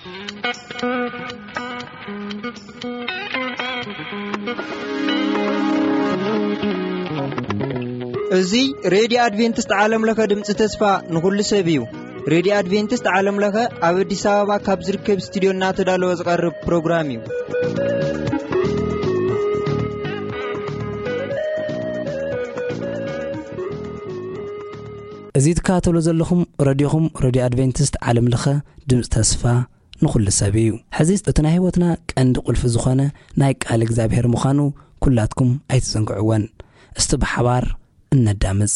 እዚ ሬድዮ ኣድቬንቲስት ዓለም ለኸ ድምፂ ተስፋ ንኹሉ ሰብ እዩ። ሬድዮ ኣድቬንቲስት ዓለም ለኸ ኣብ ኣዲስ ኣበባ ካብ ዝርከብ ስቱዲዮ እናተዳለወ ዝቐርብ ፕሮግራም እዩ። እዚ ትከታተሉ ዘለኹም ረድዮኹም፣ ረድዮ ኣድቬንቲስት ዓለም ለኸ ድምፂ ተስፋ ንኹሉ ሰብ እዩ። ሕዚ እቲ ናይ ህይወትና ቀንዲ ቁልፊ ዝኾነ ናይ ቃል እግዚኣብሔር ምዃኑ ኩላትኩም ኣይትዘንግዕወን። እስቲ ብሓባር እነዳምፅ።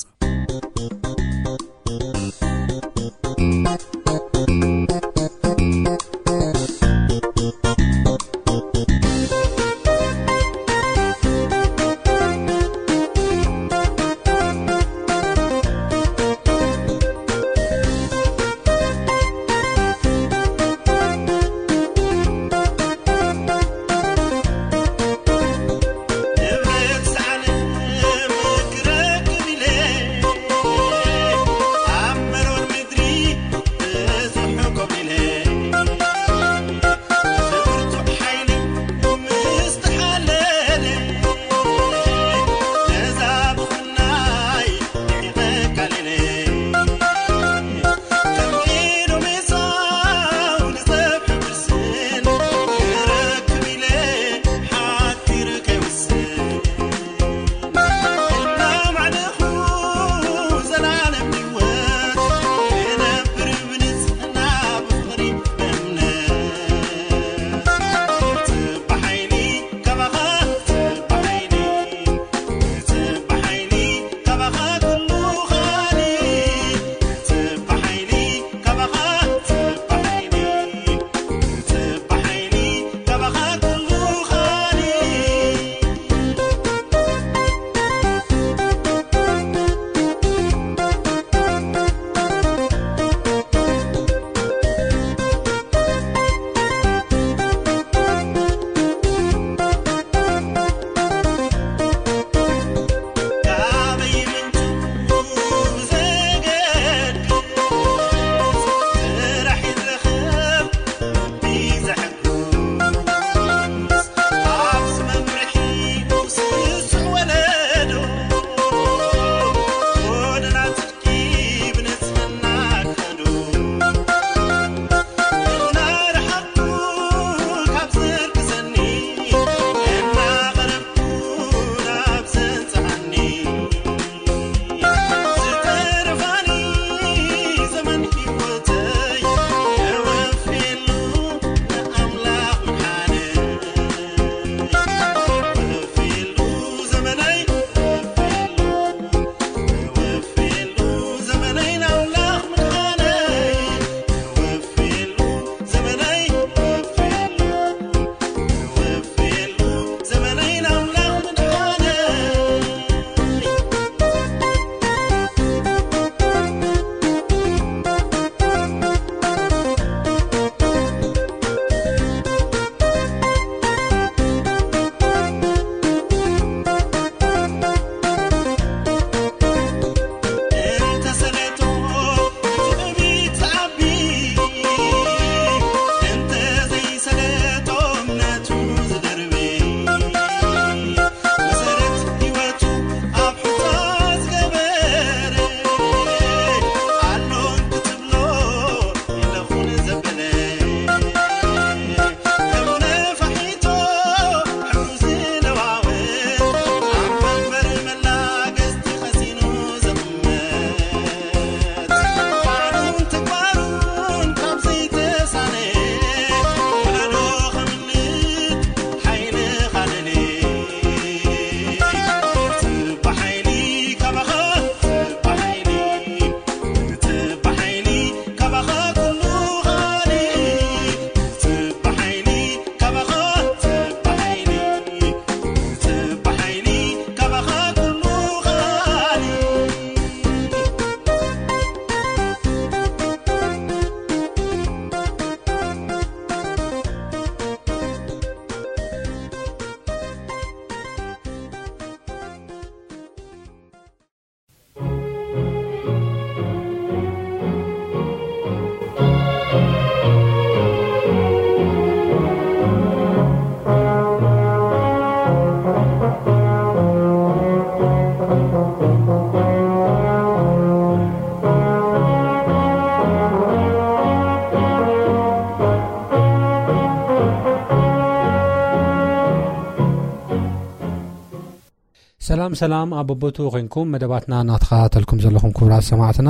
ሰላም ሰላም፣ ኣብ በቦቱ ኮይንኩም መደባትና እናተኸታተልኩም ዘለኹም ክቡራት ሰማዕትና፣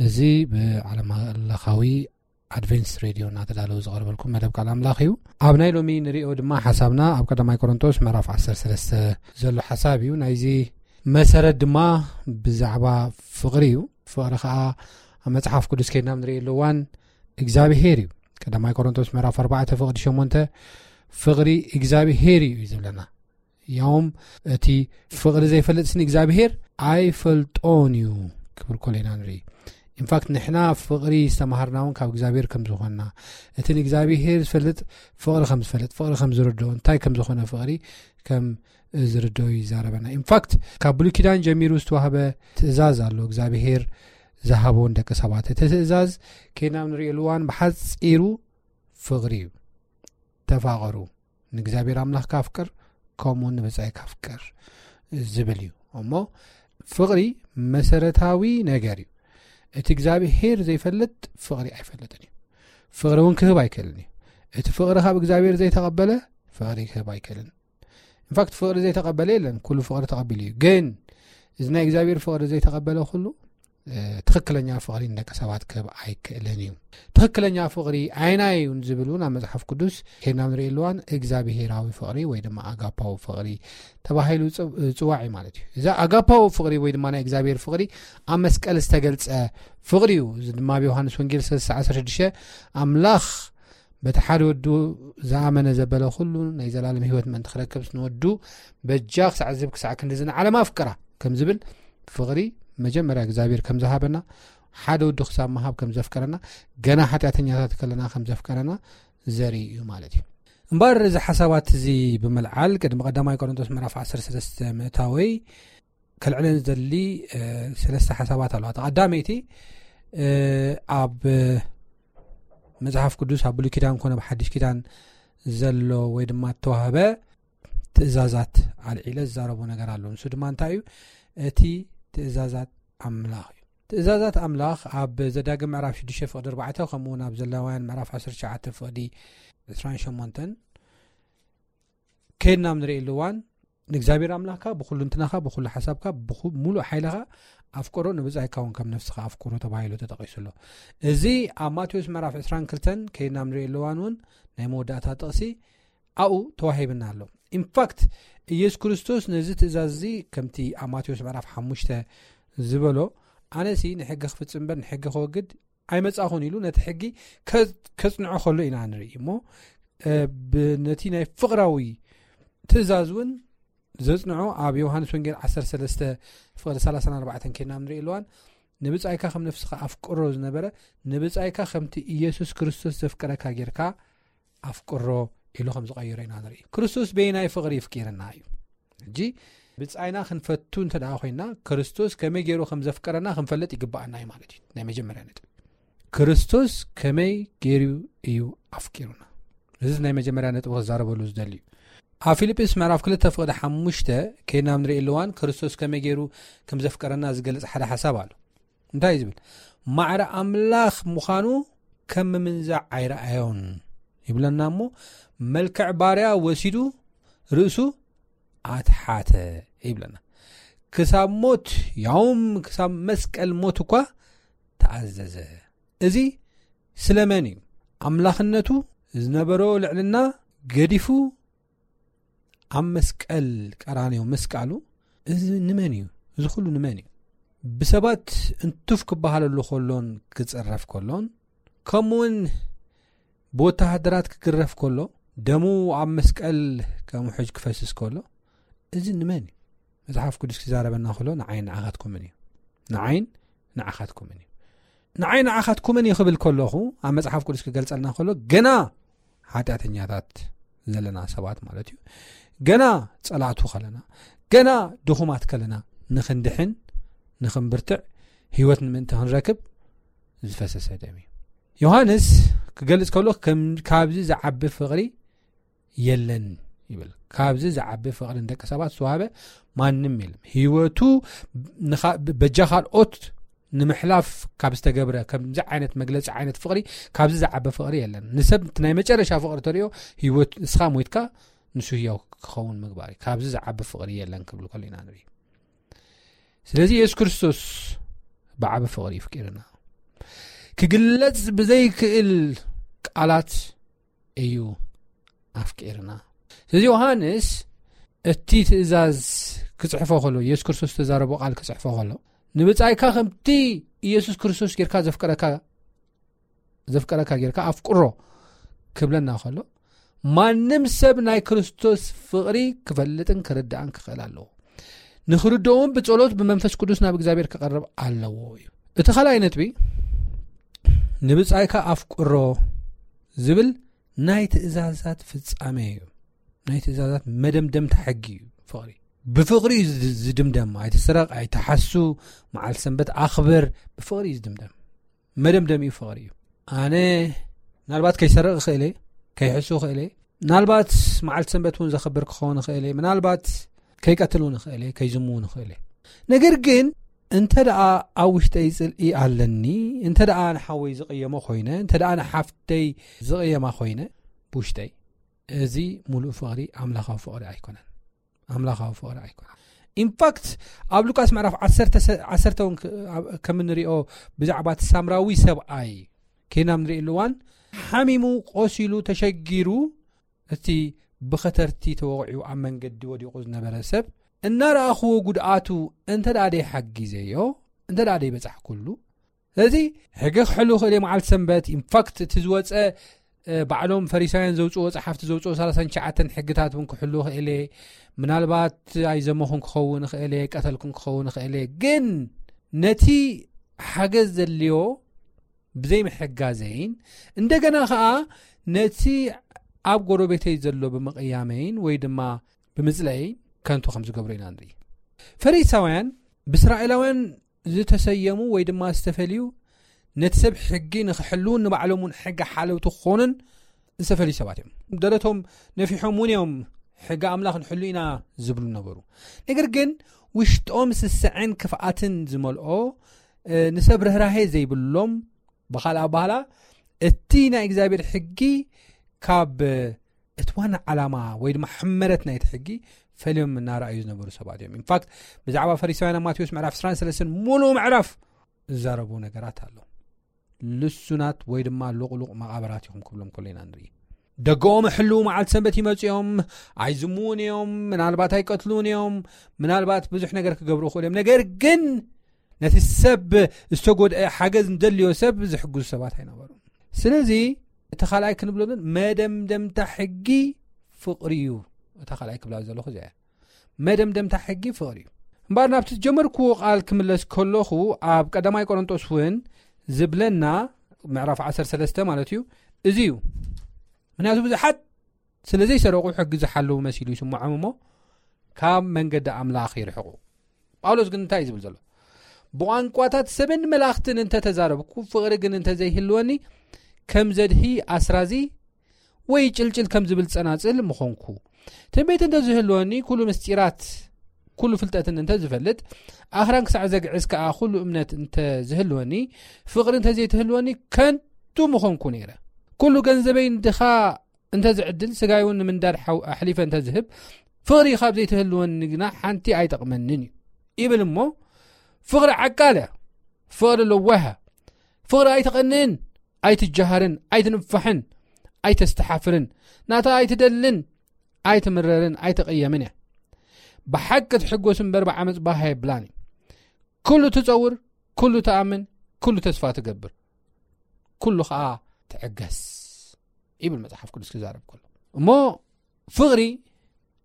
እዚ ብዓለም ለኻዊ ኣድቬንስ ሬድዮ እናተዳለወ ዝቐርበልኩም መደብ ቃል ኣምላኽ እዩ። ኣብ ናይ ሎሚ ንሪኦ ድማ ሓሳብና ኣብ ቀዳማይ ቆሮንቶስ ምዕራፍ ዓሰርተ ሰለስተ ዘሎ ሓሳብ እዩ። ናይዚ መሰረት ድማ ብዛዕባ ፍቕሪ እዩ። ፍቕሪ ከዓ ኣብ መጽሓፍ ቅዱስ ከይድና ንሪእየሉ እዋን እግዚኣብሄር እዩ። ቀዳማይ ቆሮንቶስ ምዕራፍ ኣርባዕተ ፍቕዲ ሸሞንተ፣ ፍቕሪ እግዚኣብሄር እዩ እዩ ዝብለና። ያውም እቲ ፍቕሪ ዘይፈልጥስን እግዚኣብሄር ኣይፈልጦን እዩ ክብል ኮሎ ኢና ንርኢ። ኢንፋክት ንሕና ፍቕሪ ዝተምሃርና እውን ካብ እግዚኣብሄር ከም ዝኾንና፣ እቲ ንእግዚኣብሄር ዝፈልጥ ፍቕሪ ከም ዝፈልጥ፣ ፍቕሪ ከም ዝርድኦ፣ እንታይ ከም ዝኾነ ፍቕሪ ከም ዝርድኦ ይዛረበና። ኢንፋክት ካብ ብሉይ ኪዳን ጀሚሩ ዝተዋህበ ትእዛዝ ኣሎ እግዚኣብሄር ዝሃቦ ንደቂ ሰባት። እቲ ትእዛዝ ከይድና ንሪእየሉ እዋን ብሓፂሩ ፍቕሪ እዩ። ተፋቐሩ፣ ንእግዚኣብሔር ኣምላኽካ ኣፍቅር፣ ከምኡ ንብጻይካ ኣፍቅር ዝብል እዩ። እሞ ፍቕሪ መሰረታዊ ነገር እዩ። እቲ እግዚኣብሔር ዘይፈልጥ ፍቕሪ ኣይፈልጥን እዩ። ፍቕሪ እውን ክህብ ኣይክእልን እዩ። እቲ ፍቕሪ ካብ እግዚኣብሔር ዘይተቐበለ ፍቕሪ ክህብ ኣይክእልን። ኢንፋክት ፍቕሪ ዘይተቐበለ የለን፣ ኩሉ ፍቕሪ ተቐቢሉ እዩ። ግን እዚ ናይ እግዚኣብሔር ፍቕሪ ዘይተቐበለ ኩሉ ትኽክለኛ ፍቕሪ ንደቂ ሰባት ክህብ ኣይክእልን እዩ። ትኽክለኛ ፍቕሪ ኣይናይ እዩ ዝብል እውን ኣብ መጽሓፍ ቅዱስ ከይድና ንርኢ ኣለዋን እግዚኣብሄራዊ ፍቕሪ ወይ ድማ ኣጋፓዊ ፍቕሪ ተባሂሉ ዝጽዋዕ እዩ ማለት እዩ። እዚ ኣጋፓዊ ፍቕሪ ወይ ድማ ናይ እግዚኣብሄር ፍቕሪ ኣብ መስቀል ዝተገልጸ ፍቕሪ እዩ። እዚ ድማ ኣብ ዮሃንስ ወንጌል ሰለስተ ዓሰርተ ሽዱሽተ ኣምላኽ በቲ ሓደ ወዱ ዝኣመነ ዘበለ ኩሉ ናይ ዘላለም ህይወት ምእንቲ ክረክብ ንወዱ በጃ ክሳዕ ዝህብ ክሳዕ ክንዲ ዝንዓለም ኣፍቅራ ከም ዝብል ፍቕሪ መጀመርያ እግዚኣብሔር ከም ዝሃበና ሓደ ወዱ ክሳብ ምሃብ ከም ዘፍቀረና ገና ሓጢኣተኛታት ከለና ከም ዘፍቀረና ዘርኢ እዩ ማለት እዩ። እምበር እዚ ሓሳባት እዚ ብምልዓል ቅድሚ ቀዳማይ ቆሮንቶስ ምዕራፍ ዓሰርተ ሰለስተ ምእታወይ ከልዕለን ዝደሊ ሰለስተ ሓሳባት ኣለዋ። ቀዳመይቲ ኣብ መጽሓፍ ቅዱስ ኣብ ብሉይ ኪዳን ኮነ ብሓድሽ ኪዳን ዘሎ ወይ ድማ እተዋህበ ትእዛዛት ኣልዒለ ዝዛረቦ ነገር ኣሎ። ንሱ ድማ እንታይ እዩ? እቲ ትእዛዛት ኣምላኽ እዩ። ትእዛዛት ኣምላኽ ኣብ ዘዳግም ምዕራፍ ሽዱሽተ ፍቕዲ ኣርባዕተ ከምኡ እውን ኣብ ዘሌዋውያን ምዕራፍ ዓሰርተ ትሽዓተ ፍቕዲ ዕስራን ሸሞንተን ከይድና ኣብ ንርእየሉ እዋን ንእግዚኣብሔር ኣምላኽካ ብኹሉ እንትናኻ ብኹሉ ሓሳብካ ብሙሉእ ሓይልኻ ኣፍቅሮ ንብጻይካ እውን ከም ነፍስኻ ኣፍቅሮ ተባሂሉ ተጠቒሱ ኣሎ። እዚ ኣብ ማቴዎስ ምዕራፍ ዕስራን ክልተን ከይድና ኣብ ንርእየሉ እዋን እውን ናይ መወዳእታ ጥቕሲ ኣብኡ ተዋሂብና ኣሎ። ኢንፋክት ኢየሱስ ክርስቶስ ነዚ ትእዛዝ እዚ ከምቲ ኣብ ማቴዎስ ምዕራፍ ሓሙሽተ ዝበሎ ኣነሲ ንሕጊ ክፍጽም እምበር ንሕጊ ከወግድ ኣይመጻኹን ኢሉ ነቲ ሕጊ ከጽንዖ ከሎ ኢና ንርኢ እሞ ነቲ ናይ ፍቕራዊ ትእዛዝ እውን ዘጽንዖ ኣብ ዮሃንስ ወንጌል ዓሰርተ ሰለስተ ፍቕዲ ሰላሳን ኣርባዕተን ከይድና ንርኢ ኣለዋን ንብጻይካ ከም ነፍስኻ ኣፍቅሮ ዝነበረ ንብጻይካ ከምቲ ኢየሱስ ክርስቶስ ዘፍቀረካ ጌርካ ኣፍቅሮ ኢሉ ከም ዝቐይሮ ኢና ንርኢ። ክርስቶስ በየናይ ፍቕሪ ይፍቂርና እዩ። ሕጂ ብጻይና ክንፈቱ እንተ ደኣ ኮይና ክርስቶስ ከመይ ገይሩ ከም ዘፍቀረና ክንፈልጥ ይግባኣና እዩ ማለት እዩ። ናይ መጀመርያ ነጥብ ክርስቶስ ከመይ ገይሩ እዩ ኣፍቂሩና። እዚ ናይ መጀመርያ ነጥብ ክዛረበሉ ዝደሊ እዩ። ኣብ ፊልጵስ ምዕራፍ ክልተ ፍቕዲ ሓሙሽተ ከይድና ንርኢ ኣለዋን ክርስቶስ ከመይ ገይሩ ከም ዘፍቀረና ዝገልጽ ሓደ ሓሳብ ኣሎ። እንታይ እዩ ዝብል? ማዕረ ኣምላኽ ምዃኑ ከም ምምንዛዕ ኣይረኣዮን ይብለና እሞ መልክዕ ባርያ ወሲዱ ርእሱ ኣትሓተ ይብለና። ክሳብ ሞት ያውም ክሳብ መስቀል ሞት እኳ ተኣዘዘ። እዚ ስለመን እዩ? ኣምላኽነቱ ዝነበሮ ልዕልና ገዲፉ ኣብ መስቀል ቀራንዮ ምስቃሉ እዚ ንመን እዩ? እዚ ኩሉ ንመን እዩ? ብሰባት እንትፍ ክበሃለሉ ከሎን ክጽረፍ ከሎን ከምኡውን ብወተሃደራት ክግረፍ ከሎ ደሙ ኣብ መስቀል ከም ውሕጅ ክፈስስ ከሎ እዚ ንመን እዩ? መጽሓፍ ቅዱስ ክዛረበና ከሎ ንዓይን ንዓኻትኩምን እዩ። ንዓይን ንዓኻትኩምን እዩ። ንዓይ ንዓኻትኩምን እዩ ክብል ከለኹ ኣብ መጽሓፍ ቅዱስ ክገልጸልና ከሎ ገና ሓጢኣተኛታት ዘለና ሰባት ማለት እዩ። ገና ጸላእቱ ከለና፣ ገና ድኹማት ከለና ንኽንድሕን ንኽንብርትዕ ህይወት ንምእንቲ ክንረክብ ዝፈሰሰ ደም እዩ። ዮሃንስ ክገልጽ ከሎ ከም ካብዚ ዝዓቢ ፍቕሪ የለን ይብል። ካብዚ ዝዓቢ ፍቕሪ ንደቂ ሰባት ዝተዋህበ ማንም የለም። ህይወቱ በጃ ካልኦት ንምሕላፍ ካብ ዝተገብረ ከምዚ ዓይነት መግለጺ ዓይነት ፍቕሪ ካብዚ ዝዓቢ ፍቕሪ የለን። ንሰብ ናይ መጨረሻ ፍቕሪ ተሪኦ ህይወት እስኻ ሞይትካ ንሱ ህያው ክኸውን ምግባር እዩ። ካብዚ ዝዓቢ ፍቕሪ የለን ክብል ከሎ ኢና ንርኢ። ስለዚ የሱስ ክርስቶስ ብዓቢ ፍቕሪ ይፍቅርና። ክግለጽ ብዘይክእል ቃላት እዩ ኣፍቂርና። ስለዚ ዮሃንስ እቲ ትእዛዝ ክጽሕፎ ከሎ፣ የሱስ ክርስቶስ ዝተዛረቦ ቃል ክጽሕፎ ከሎ፣ "ንብጻይካ ከምቲ ኢየሱስ ክርስቶስ ጌርካ ዘፍቀረካ፣ ዘፍቀረካ ጌርካ ኣፍቅሮ" ክብለና ከሎ፣ ማንም ሰብ ናይ ክርስቶስ ፍቕሪ ክፈልጥን ክርዳእን ክኽእል ኣለዎ። ንኽርድኦም ብጸሎት ብመንፈስ ቅዱስ ናብ እግዚኣብሔር ክቐርብ ኣለዎ እዩ። እቲ ካልኣይ ነጥቢ፣ "ንብጻይካ ኣፍቅሮ" ዝብል ናይ ትእዛዛት ፍጻሜ እዩ። ናይ ትእዛዛት መደምደምታ ሕጊ እዩ። ፍቕሪ ብፍቕሪ እዩ ዝድ-፣ ዝድምደም። "ኣይትስረቕ፣ ኣይትሓሱ፣ መዓልቲ ሰንበት ኣኽብር" ብፍቕሪ እዩ ዝድምደም። መደምደሚኡ ፍቕሪ እዩ። ኣነ ምናልባት ከይሰርቕ እኽእል እየ፣ ከይሕሱ እኽእል እየ፣ ምናልባት መዓልቲ ሰንበት እውን ዘኽብር ክኸውን እኽእል እየ፣ ምናልባት ከይቀትል እውን እኽእል እየ፣ ከይዝሙ እውን እኽእል እየ። ነገር ግን እንተ ደኣ ኣብ ውሽጠይ ጽልኢ ኣለኒ፣ እንተ ደኣ ንሓወይ ዝቕየሞ ኮይነ፣ እንተ ደኣ ንሓፍተይ ዝቕየማ ኮይነ ብውሽጠይ፣ እዚ ሙሉእ ፍቕሪ ኣምላኻዊ ፍቕሪ ኣይኮነን። ኣምላኻዊ ፍቕሪ ኣይኮነን። ኢንፋክት ኣብ ሉቃስ ምዕራፍ ዓሰርተ ሰ-፣ ዓሰርተ እውን ከ-፣ ኣብ-፣ ከም እንሪኦ ብዛዕባ እቲ ሳምራዊ ሰብኣይ ኬና ንርኢ ኣለዋን፣ ሓሚሙ፣ ቆሲሉ፣ ተሸጊሩ፣ እቲ ብኸተርቲ ተወቒዑ ኣብ መንገዲ ወዲቑ ዝነበረ ሰብ እናረኣኽዎ ጉድኣቱ እንተ ደኣ ደይሓጊዘዮ፣ እንተ ደኣ ደይበጻሕኩሉ፣ ስለዚ ሕጊ ክሕሉ ክእል እየ መዓልቲ ሰንበት። ኢንፋክት እቲ ዝወፀ፣ እ፣ ባዕሎም ፈሪሳውያን ዘውፅዎ፣ ጸሓፍቲ ዘውፅዎ ሰላሳን ትሽዓተን ሕግታት እውን ክሕሉ ክእል እየ። ምናልባት ኣይዘመኹን ክኸውን ክእል እየ፣ ቀተልኩን ክኸውን ክእል እየ። ግን ነቲ ሓገዝ ዘድልዮ ብዘይምሕጋዘይን፣ እንደገና ኸዓ ነቲ ኣብ ጎረቤተይ ዘሎ ብምቕያመይን ወይ ድማ ብምጽለየይን ከንቱ ከም ዝገብሮ ኢና ንርኢ። ፈሪሳውያን ብእስራኤላውያን ዝተሰየሙ ወይ ድማ ዝተፈልዩ፣ ነቲ ሰብ ሕጊ ንኽሕልዉን ንባዕሎም እውን ሕጊ ሓለውቲ ክኾኑን ዝተፈልዩ ሰባት እዮም። ደረቶም ነፊሖም እውን እዮም ሕጊ ኣምላኽ ንሕሉ ኢና ዝብሉ ነበሩ። ነገር ግን ውሽጦም ስስዐን ክፍኣትን ዝመልኦ፣ እ፣ ንሰብ ርህራሄ ዘይብሎም፣ ብኻልእ ኣባህላ እቲ ናይ እግዚኣብሔር ሕጊ ካብ እቲ ዋና ዓላማ ወይ ድማ ሕመረት ናይቲ ሕጊ ፈልዮም እናረኣዩ ዝነበሩ ሰባት እዮም። ኢንፋክት ብዛዕባ ፈሪሳውያን ኣብ ማቴዎስ ምዕራፍ ዕስራን ሰለስተን ሙሉእ ምዕራፍ ዝዛረቡ ነገራት ኣሎ። ልሱናት ወይ ድማ ሉቕሉቕ መቓብራት ኢኹም ክብሎም ከሎ ኢና ንርኢ። ደገኦም ሕልው መዓልቲ ሰንበት ይመጹ እዮም፣ ኣይዝምውን እዮም፣ ምናልባት ኣይቀትሉን እዮም፣ ምናልባት ብዙሕ ነገር ክገብሩ ይኽእሉ እዮም። ነገር ግን ነቲ ሰብ ዝተጎድአ ሓገዝ ንደልዮ ሰብ ዝሕግዙ ሰባት ኣይነበሩን። ስለዚ እቲ ካልኣይ ክንብሎ ግን መደምደምታ ሕጊ ፍቕሪ እዩ። እታ ካልኣይ ክብላ ዘለኹ እዚኣ እያ። መደምደምታ ሕጊ ፍቕሪ እዩ። እምበኣር ናብቲ ዝጀመርክዎ ቃል ክምለስ ከለኹ ኣብ ቀዳማይ ቆሮንጦስ እውን ዝብለና ምዕራፍ ዓሰርተ ሰለስተ ማለት እዩ፣ እዚ እዩ። ምክንያቱ ብዙሓት ስለ ዘይሰረቑ ሕጊ ዝሓለዉ መሲሉ ይስምዖም እሞ ካብ መንገዲ ኣምላኽ ይርሕቑ። ጳውሎስ ግን እንታይ እዩ ዝብል ዘሎ? ብቋንቋታት ሰብን መላእኽትን እንተተዛረብኩ ፍቕሪ ግን እንተዘይህልወኒ ከም ዘድሂ ኣስራዚ ወይ ጭልጭል ከም ዝብል ጸናጽል ምኾንኩ። ትንቢት እንተዝህልወኒ ኩሉ ምስጢራት ኩሉ ፍልጠትን እንተዝፈልጥ ኣኽራን ክሳዕ ዘግዕዝ ከኣ ኩሉ እምነት እንተዝህልወኒ ፍቕሪ እንተዘይትህልወኒ ከንቱ ምኾንኩ ነይረ። ኩሉ ገንዘበይ ንድኻ እንተዝዕድል ስጋይ እውን ንምንዳድ ሓው-፣ ኣሕሊፈ እንተዝህብ ፍቕሪ ካብ ዘይትህልወኒ ግና ሓንቲ ኣይጠቕመንን እዩ ይብል እሞ ፍቕሪ ዓቃል እያ። ፍቕሪ ለዋህ እያ። ፍቕሪ ኣይትቐንእን፣ ኣይትጀሃርን፣ ኣይትንፋሕን፣ ኣይተስተሓፍርን፣ ናታ ኣይትደልን፣ ኣይትምረርን፣ ኣይትቕየምን እያ። ብሓቂ ትሕጎስ እምበር ብዓመፅ ባህ የብላን እዩ። ኩሉ ትፀውር፣ ኩሉ ትኣምን፣ ኩሉ ተስፋ ትገብር፣ ኩሉ ከዓ ትዕገስ ይብል መፅሓፍ ቅዱስ ክዛረብ ከሎ። እሞ ፍቕሪ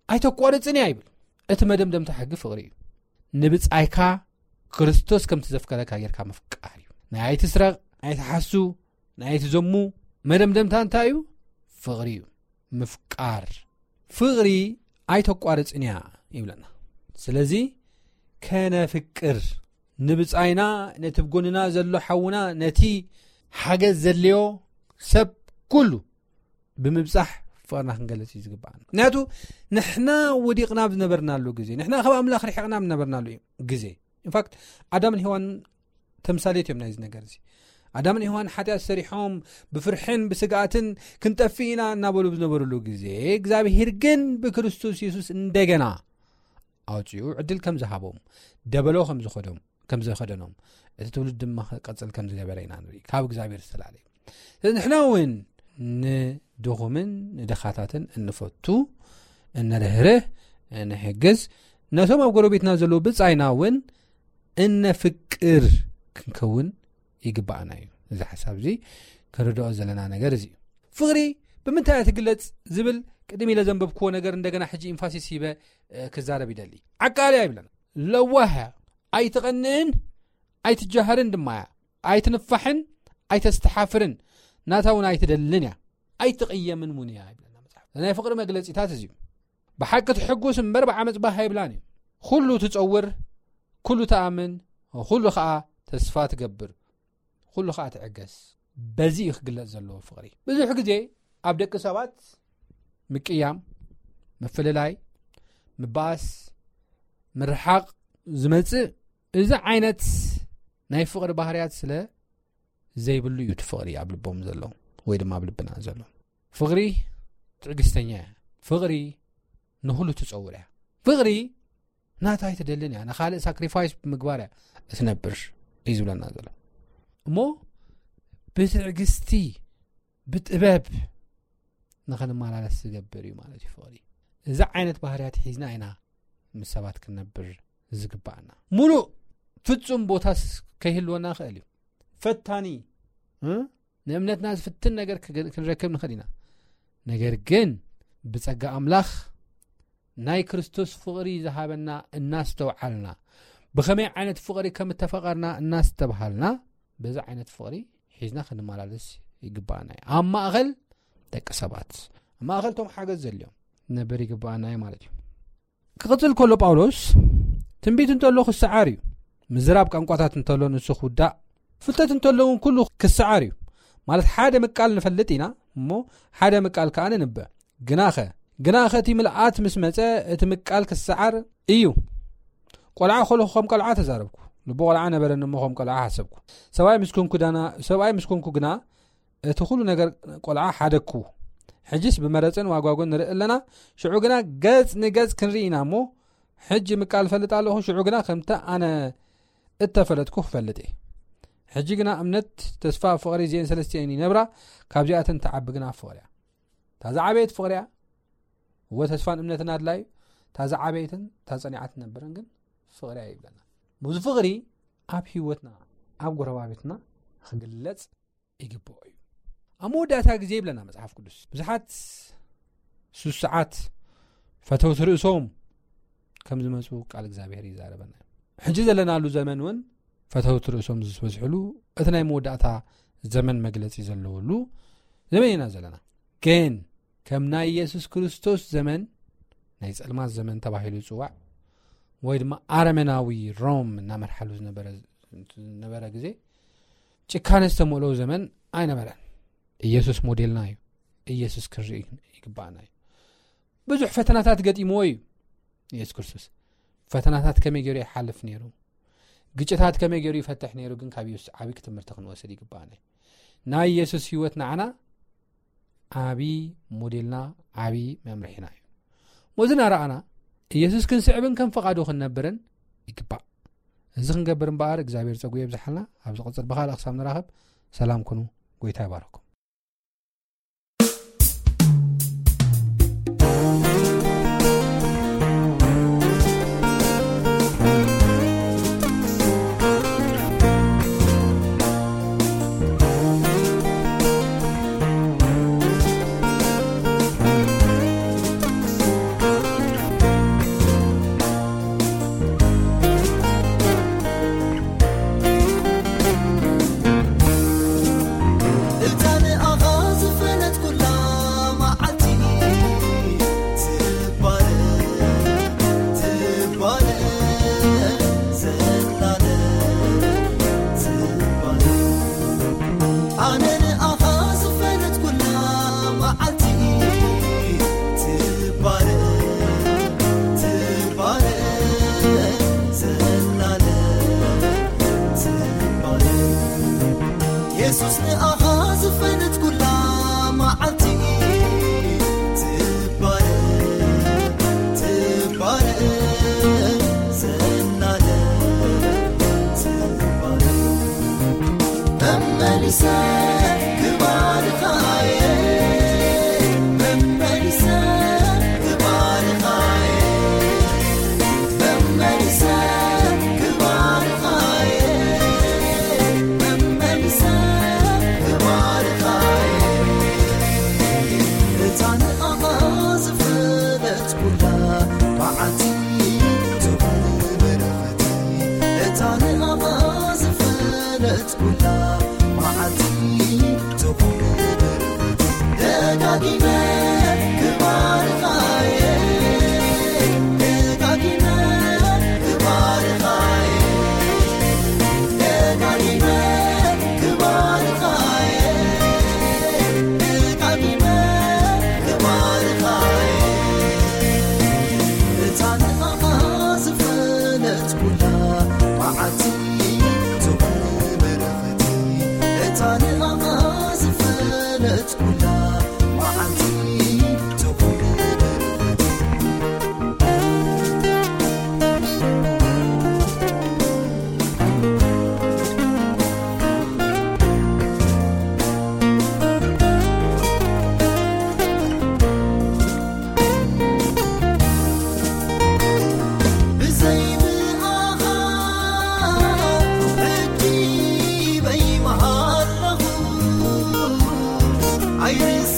ኣይተቋርፅን እያ ይብል። እቲ መደምደምታ ሕጊ ፍቕሪ እዩ። ንብፃይካ ክርስቶስ ከምቲ ዘፍቀረካ ጌርካ ምፍቃር እዩ። ናይ ኣይትስረቕ፣ ናይ ኣይትሓሱ፣ ናይ ኣይትዘሙ መደምደምታ እንታይ እዩ? ፍቕሪ እዩ። ምፍቃር። ፍቕሪ ኣይተቋርፅን እያ ይብለና። ስለዚ ከነፍቅር፣ ንብፃይና፣ ነቲ ብጎንና ዘሎ ሓውና፣ ነቲ ሓገዝ ዘድልዮ ሰብ ኩሉ ብምብፃሕ ፍቕርና ክንገልፅ እዩ ዝግባኣና። ምክንያቱ ንሕና ወዲቕና ኣብ ዝነበርናሉ ግዜ፣ ንሕና ካብ ኣምላኽ ርሒቕና ኣብ ዝነበርናሉ ግዜ፣ ኢንፋክት ኣዳምን ሄዋን ተምሳሌት እዮም ናይዚ ነገር እዚ። ኣዳምን ሄዋን ሓጢኣት ሰሪሖም ብፍርሕን ብስግኣትን ክንጠፍእ ኢና እናበሉ ብዝነበሩሉ ግዜ፣ እግዚኣብሄር ግን ብክርስቶስ የሱስ እንደገና ኣውፂኡ ዕድል ከም ዝሃቦም፣ ደበሎ ከም ዝኸዶም፣ ከም ዘኸደኖም፣ እቲ ትውልድ ድማ ክቐፅል ከም ዝገበረ ኢና ንርኢ። ካብ እግዚኣብሔር ዝተላለ እዩ። ስለዚ ንሕና እውን ንድኹምን ንድኻታትን እንፈቱ፣ እንርህርህ፣ እንሕግዝ፣ ነቶም ኣብ ጎረቤትና ዘለዉ ብጻይና እውን እነፍቅር ክንከውን ይግባኣና እዩ። እዚ ሓሳብ እዚ ክንርድኦ ዘለና ነገር እዚ እዩ። ፍቕሪ ብምንታይ እያ ትግለጽ ዝብል ቅድም ኢለ ዘንበብክዎ ነገር እንደገና ሕጂ ኢንፋሲስ ሂበ፣ እ፣ ክዛረብ ይደሊ። ዓቃሊ እያ ይብለና። ለዋህ እያ። ኣይትቐንእን ኣይትጃሃርን ድማ እያ። ኣይትንፋሕን ኣይተስተሓፍርን። ናታ እውን ኣይትደልን እያ። ኣይትቕየምን እውን እያ ይብለና መጽሓፍ። ናይ ፍቕሪ መግለጺታት እዚ እዩ። ብሓቂ ትሕጉስ እምበር ብዓመጽ ባህ ኣይብላን እዩ። ኩሉ ትጸውር፣ ኩሉ ትኣምን፣ ኩሉ ኸኣ ተስፋ ትገብር፣ ኩሉ ኸኣ ትዕገስ። በዚ እዩ ክግለጽ ዘለዎ ፍቕሪ። ብዙሕ ግዜ ኣብ ደቂ ሰባት ምቅያም፣ ምፍልላይ፣ ምባኣስ፣ ምርሓቕ ዝመጽእ እዚ ዓይነት ናይ ፍቕሪ ባህርያት ስለ ዘይብሉ እዩ እቲ ፍቕሪ ኣብ ልቦም ዘሎ ወይ ድማ ኣብ ልብና ዘሎ። ፍቕሪ ትዕግስተኛ እያ። ፍቕሪ ንኹሉ ትጸውር እያ። ፍቕሪ ናታ ኣይትደልን እያ። ንኻልእ ሳክሪፋይስ ብምግባር እያ እትነብር እዩ ዝብለና ዘሎ። እሞ ብትዕግስቲ፣ ብጥበብ ንኽንመላለስ ዝገብር እዩ ማለት እዩ ፍቕሪ። እዚ ዓይነት ባህርያት ሒዝና ኢና ምስ ሰባት ክንነብር ዝግባኣና። ሙሉእ ፍጹም ቦታስ ከይህልወና ይኽእል እዩ። ፈታኒ፣ እ? ንእምነትና ዝፍትን ነገር ክገ-፣ ክንረክብ ንኽእል ኢና። ነገር ግን ብጸጋ ኣምላኽ ናይ ክርስቶስ ፍቕሪ ዝሃበና እናስተውዓልና፣ ብኸመይ ዓይነት ፍቕሪ ከም እተፈቐርና እናስተብሃልና፣ በዚ ዓይነት ፍቕሪ ሒዝና ክንመላለስ ይግባኣና እዩ። ኣብ ማእኸል ደቂ ሰባት፣ ኣብ ማእኸል ቶም ሓገዝ ዘድልዮም ነበር ይግባኣና እዩ ማለት እዩ። ክቕጽል ከሎ ጳውሎስ፣ ትንቢት እንተሎ ክሰዓር እዩ፣ ምዝራብ ቋንቋታት እንተሎ ንሱ ክውዳእ፣ ፍልጠት እንተሎ እውን ኩሉ ክሰዓር እዩ። ማለት ሓደ ምቃል ንፈልጥ ኢና እሞ ሓደ ምቃል ከኣ ንንበ። ግናኸ፣ ግናኸ እቲ ምልኣት ምስ መጸ እቲ ምቃል ክሰዓር እዩ። ቆልዓ ከለኹ ከም ቆልዓ ተዛረብኩ፣ ልቢ ቆልዓ ነበረኒ እሞ ከም ቆልዓ ሓሰብኩ። ሰብኣይ ምስ ኮንኩ ዳና-፣ ሰብኣይ ምስ ኮንኩ ግና እቲ ኩሉ ነገር ቆልዓ ሓደግኩ። ሕጅስ ብመረጽን ዋጓጉን ንርኢ ኣለና፣ ሽዑ ግና ገጽ ንገጽ ክንርኢ ኢና እሞ፣ ሕጂ ምቃል እፈልጥ ኣለኹ፣ ሽዑ ግና ከምቲ ኣነ እተፈለጥኩ ክፈልጥ እየ። ሕጂ ግና እምነት፣ ተስፋ፣ ፍቕሪ፣ እዚኤን ሰለስቲኤን ይነብራ፣ ካብዚኣተን ትዓቢ ግና ፍቕሪ እያ። እታ ዝዓበየት ፍቕሪ እያ። እወ፣ ተስፋን እምነትን ኣድላዩ፣ እታ ዝዓበየትን እታ ጸኒዓ ትነብርን ግን ፍቕሪ እያ ይብለና። እዚ ፍቕሪ ኣብ ህይወትና፣ ኣብ ጎረባብትና ክግለጽ ይግብኦ እዩ። ኣብ መወዳእታ ግዜ ይብለና መጽሓፍ ቅዱስ፣ ብዙሓት ስሱዓት ፈተውቲ ርእሶም ከም ዝመጹ ቃል እግዚኣብሔር ይዛረበና እዩ። ሕጂ ዘለናሉ ዘመን እውን ፈተውቲ ርእሶም ዝበዝሕሉ፣ እቲ ናይ መወዳእታ ዘመን መግለጺ ዘለውሉ ዘመን ኢና ዘለና። ግን ከም ናይ ኢየሱስ ክርስቶስ ዘመን፣ ናይ ጸልማት ዘመን ተባሂሉ ዝጽዋዕ፣ ወይ ድማ ኣረመናዊ ሮም እናመርሓሉ ዝነበረ፣ ዝነበረ ግዜ፣ ጭካነ ዝተመልኦ ዘመን ኣይነበረን። ኢየሱስ ሞዴልና እዩ። ኢየሱስ ክንርኢ ይግባኣና እዩ። ብዙሕ ፈተናታት ገጢምዎ እዩ ኢየሱስ ክርስቶስ። ፈተናታት ከመይ ገይሩ ይሓልፍ ነይሩ፣ ግጭታት ከመይ ገይሩ ይፈትሕ ነይሩ፣ ግን ካብ ኢየሱስ ዓቢ ትምህርቲ ክንወስድ ይግባኣና እዩ። ናይ ኢየሱስ ህይወት ንዓና ዓቢ ሞዴልና፣ ዓቢ መምርሒና እዩ። ሞዚ እናረኣና ኢየሱስ ክንስዕብን ከም ፈቓዱ ክንነብርን ይግባእ። እዚ ክንገብር እምበኣር እግዚኣብሔር ጸጉ የብዝሓልና። ኣብ ዝቕጽል ብኻልእ ክሳብ ንራኸብ ሰላም ኩኑ። ጎይታ ይባርኩም። ኩላ መዓልቲ ትኹን። ብዘይ ብኣኻ ሕጂ በይ መሃለኹ፣ ኣይርስ